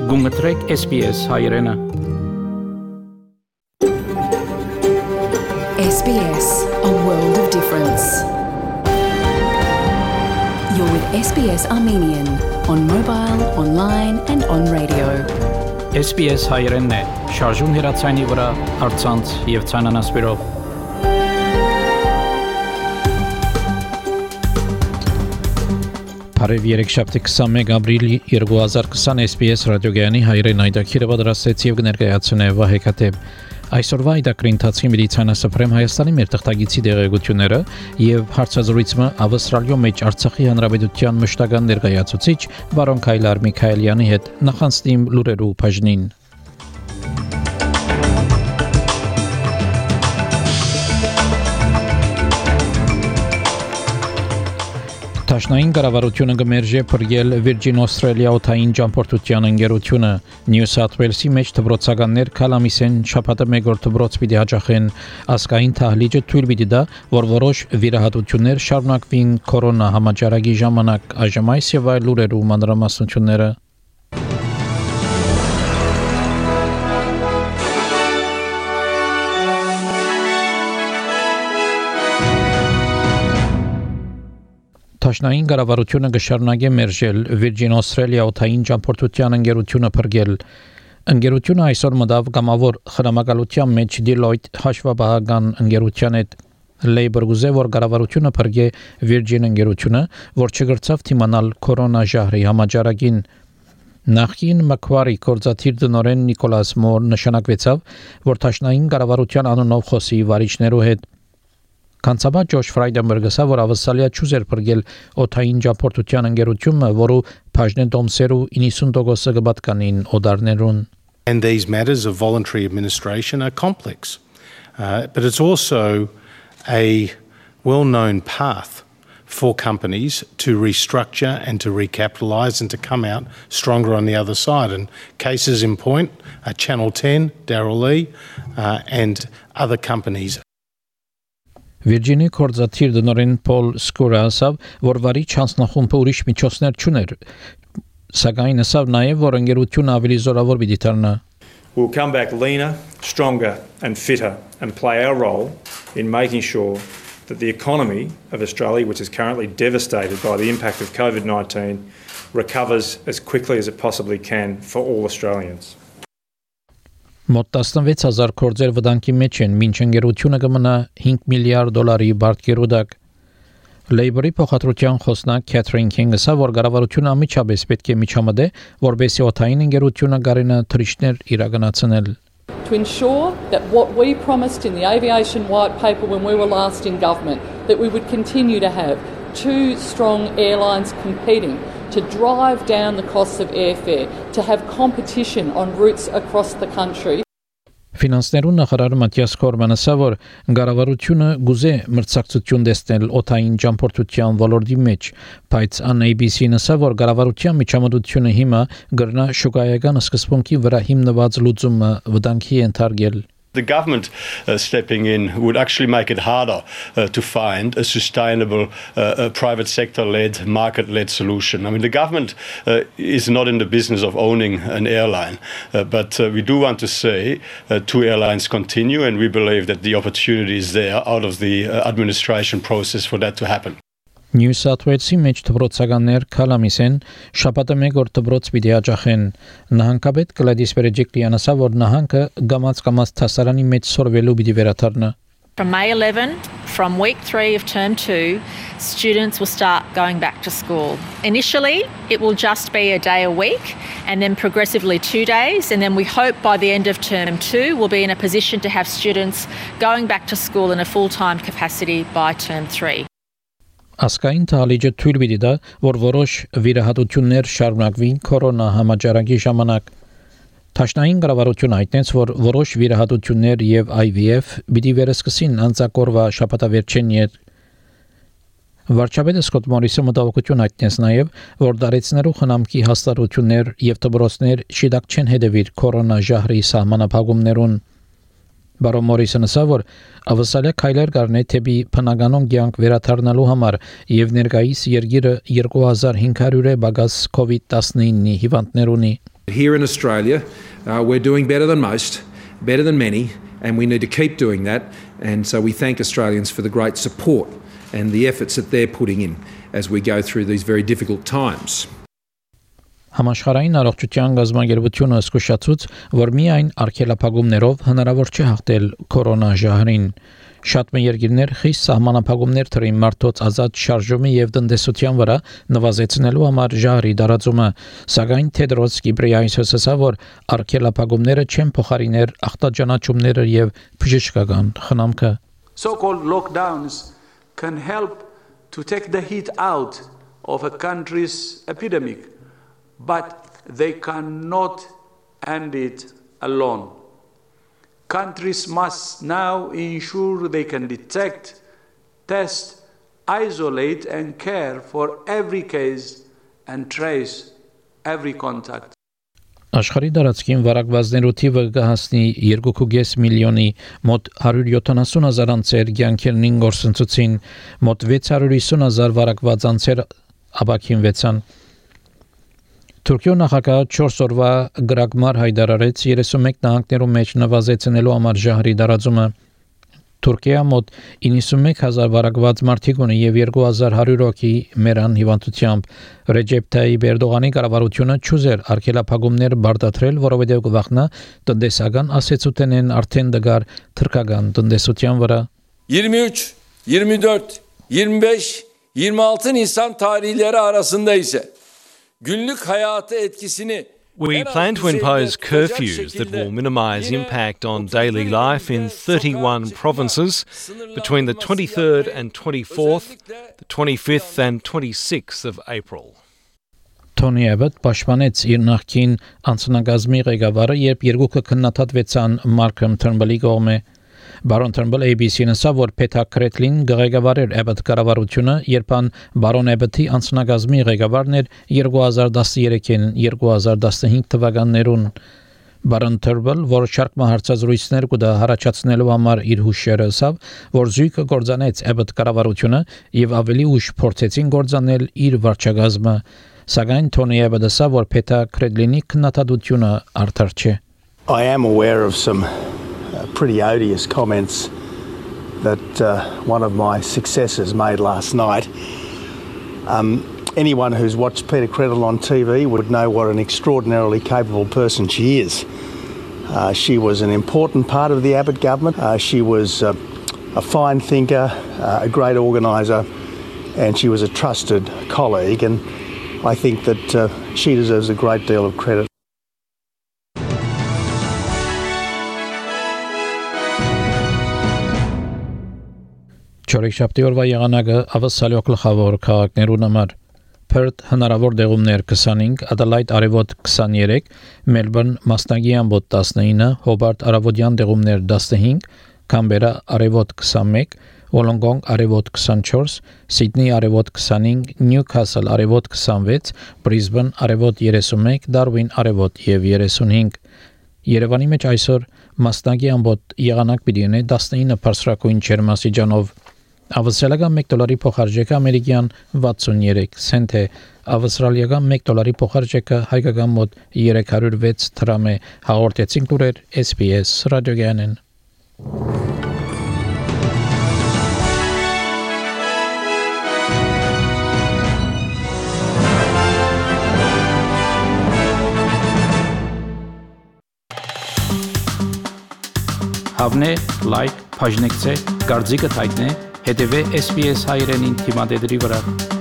Գումտրեք SPS հայրենը SBS, a world of difference. You're with SBS Armenian on mobile, online and on radio. SPS հայրենն է, շարժուն հեռացայինի վրա, առցանց եւ ցանանասպիրով։ Բարև երեքշաբթի 21 ապրիլի 2020 SPS ռադիոգյանի հայրեն այդակիրը պատրաստեց եւ կներկայացնե Վահե Քաթեբ։ Այսօրվա այդակրի ընթացքի մեդիցինասփռեմ Հայաստանի մեր թղթագիտի դեղեցությունները եւ հարցազրույցը Ավստրալիո մեջ Արցախի հանրապետության մշտական ներկայացուցիչ բարոն Քայլար Միքայելյանի հետ նախանցնիմ լուրերու բաժնին։ Տաշնային կառավարությունը կմերժի փրկել Virgin Australia օթային ճամփորդության ընկերությունը New South Wales-ի մեջ դպրոցականներ քալամիսեն շաբաթը մեկ օր դպրոց պիտի հաջախեն ասկային թահլիճը թույլ պիտի տա որ որոշ վիրահատություններ շարունակվին կորոնա համաճարակի ժամանակ այժմ այս եւ այլ լուրերու մանրամասնությունները Տաշնային կառավարությունը կշարունակի մերժել Virgin Australia օթային ճամփորդության ընկերությունը փրկել։ Ընկերությունը այսօր մտավ կամավոր խնամակալության մեջ Deloitte հաշվապահական ընկերության հետ Labour գուզե որ կառավարությունը փրկե Virgin ընկերությունը, որ չգրծավ թիմանալ կորոնա ժահրի համաճարակին։ Նախին Macquarie կորզաթիր տնօրեն Նիկոլաս Մոր նշանակվեցավ, որ Տաշնային կառավարության անունով խոսի վարիչներու հետ Կանցաբա Ջոշ Ֆրայդենբերգը որ ավսալիա ճուզեր փրկել օթային ճամփորդության ընկերությունը, որը բաժնեն դոմսերու 90% կբատկանին օդարներուն. And these matters of voluntary administration are complex, but it's also a well-known path for companies to restructure and to recapitalise and to come out stronger on the other side. And cases in point are Channel 10, Darryl Lee, and other companies. Virginia կորզաթիր տնօրեն Պոլ Սկուրը ասավ, որ վարի չանցնախումբը ուրիշ միջոցներ չուներ, սակայն ասավ նաև, որ ընկերությունը ավելի զորավոր պիտի դառնա. We'll come back leaner, stronger and fitter and play our role in making sure that the economy of Australia, which is currently devastated by the impact of COVID-19, recovers as quickly as it possibly can for all Australians. Մոտ 16000 կորձեր վտանգի մեջ են, մինչ ընկերությունը կմնա $5 միլիարդ բարձրորակ։ Labour-ի փոխադրության խոսնակ Քեթրին Քինգը ասա, որ կառավարությունը ամիջապես պետք է միջամտե, որպեսզի օթային ընկերությունը կարենա թռիչքներ իրականացնել։ To ensure that what we promised in the aviation white paper when we were last in government, that we would continue to have two strong airlines competing to drive down the costs of airfare, to have competition on routes across the country. Ֆինանսներու նախարար Մատիաս Կորմանը ասա, որ կառավարությունը գուզե մրցակցություն տեսնել օթային ճամփորդության ոլորտի մեջ, բայց ABC-ն ասա, որ կառավարության միջամտությունը հիմա գրնա շուկայական սկզբունքի վրա հիմնված լուծումը վտանգի ենթարկել։ The government stepping in would actually make it harder to find a sustainable private sector-led, market-led solution. I mean, the government is not in the business of owning an airline, but we do want to say two airlines continue, and we believe that the opportunity is there out of the administration process for that to happen. New South Wales-ի մեջ դպրոցականներ քալամիսեն շաբաթը մեկ օր դպրոց պիտի հաջախեն նահանգապետ Գլադիս Բերեջիկլիան ասա որ նահանգը գամած թասարանի մեջ սորվելու պիտի վերադառնա From May 11, from week 3 of term 2, students will start going back to school. Initially, it will just be a day a week and then progressively 2 days. And then we hope by the end of term 2, we'll be in a position to have students going back to school in a full-time capacity by term 3. Ասկային թալիջը թույլ պիտի տա, որ որոշ վիրահատություններ շարունակվին կորոնա համաճարակի ժամանակ։ Տաշնային կառավարությունը հայտնեց, որ որոշ վիրահատություններ եւ IVF պիտի վերսկսին անցակորվա շաբաթավերջին յետ։ Վարչապետը Սկոտ Մորիսը մտահոգություն հայտնեց նաեւ, որ դարեցներու խնամքի հաստատություններ եւ դպրոցներ շիդակ չեն հետևիր կորոնա ժահրի սահմանափակումներուն։ Բարոն Մորիսն ասա, որ ավսալիա քայլեր կառնե թեպի բնականոն կյանք վերադառնալու համար եւ ներկայիս երկիրը 2500 բագաս COVID-19 հիվանդներ ունի։ Here in Australia, we're doing better than most, better than many, and we need to keep doing that. And so we thank Australians for the great support and the efforts that they're putting in as we go through these very difficult times. Համաշխարհային առողջության գազագերբությունը զսկուշացուց, որ միայն արգելափակումներով հնարավոր չէ հաղթել կորոնաժահրին։ Շատ երկիրներ խիստ սահմանափակումներ թրին մարդոց ազատ շարժումի եւ տնտեսության վրա նվազեցնելու համար ժահրի տարածումը, սակայն Թեդրոս Գիբրեյեսուսը ասավ, որ արգելափակումները չեն փոխարիներ ախտաճանաչումները եւ բժշկական խնամքը։ So-called lockdowns can help to take the heat out of a country's epidemic, but they cannot end it alone. Countries must now ensure they can detect, test, isolate and care for every case and trace every contact. Աշխարհի տարածքին վարակվածներու թիվը կհասնի 2.5 միլիոնի, մոտ 170,000 անձեր կյանքերին գործընծուցին, մոտ 650,000 վարակված անձեր ապաքինվեցան։ Թուրքիո նախագահը 4 օրվա գրագմար հայտարարեց 31 նահանգներում մեջ նվազեցնելու համար ժահրի տարածումը։ Թուրքիա մոտ 91,000 վարակված մարդիկ ունի եւ 2100 հոգի մեռան հիվանդությամբ։ Ռեջեփ Թայիփ Էրդողանի կառավարությունը չուզեր արգելափակումներ բարդացրել, որովհետեւ կվախնա տնտեսական ասեցուտենեն արդեն դգար թրքական տնտեսության վրա։ 23, 24, 25, 26 Nisan tarihleri arasında ise günlük hayatı etkisini We plan to impose curfews that will minimise impact on daily life in 31 provinces between the 23rd and 24th, the 25th and 26th of April. Թոնի Էբոտ պաշտպանեց իր նախկին անձնագազմի ղեկավարը, երբ երկուքը քննադատվեցան Մարկոմ Թըրնբլի կողմէ։ Բարոն Թըրնբլը ABC-ին ասավ, որ Փեթա Քրեթլին ղեկավարեր Էբոտ կառավարությունը, երբ բարոն Էբոտի անձնագազմի ղեկավարն էր 2013-ին 2015 թվականներուն։ Բարոն Թըրնբլ, որ շարք հարցազրույցներ կուտա հարաճացնելու համար իր հուշերը ասավ, որ զույգը կործանեց Էբոտ կառավարությունը եւ ավելի ուշ փորձեցին կործանել իր վարչակազմը, սակայն Թոնի Էբոտը ասավ, որ Փեթա Քրեթլինի քննադատությունը արդար չէ։ I am aware of some pretty odious comments that one of my successors made last night. Anyone who's watched Peter Credle on TV would know what an extraordinarily capable person she is. She was an important part of the Abbott government. She was a fine thinker, a great organiser, and she was a trusted colleague, and I think that she deserves a great deal of credit. Չորեքշաբթի օրվա եղանակը ավսալյո գլխավոր քաղաքներուն համար Perth հնարավոր դեղումներ 25, Adelaide արևոտ 23, Melbourne մասնագի ամբոտ 19, Hobart արևոդյան դեղումներ 15, Canberra արևոտ 21, Wollongong արևոտ 24, Sydney արևոտ 25, Newcastle արևոտ 26, Brisbane արևոտ 31, Darwin արևոտ եւ 35։ Երևանի մեջ այսօր մասնագի ամբոտ եղանակ պիտի ունի 19 բարձրակույն ջերմաստիճանով։ Ավստրալիական $1 փոխարժեքը ամերիկյան 63 سنت է, ավստրալիական $1 փոխարժեքը հայկական մոտ 306 դրամ է, հաղորդեցին լուրեր SBS ռադիոգյանեն։ Հավնե, լայք, բաժնեկցե, դարձիկը թայտնե, հետևե SBS հայրենին թիմադեդրի վրա։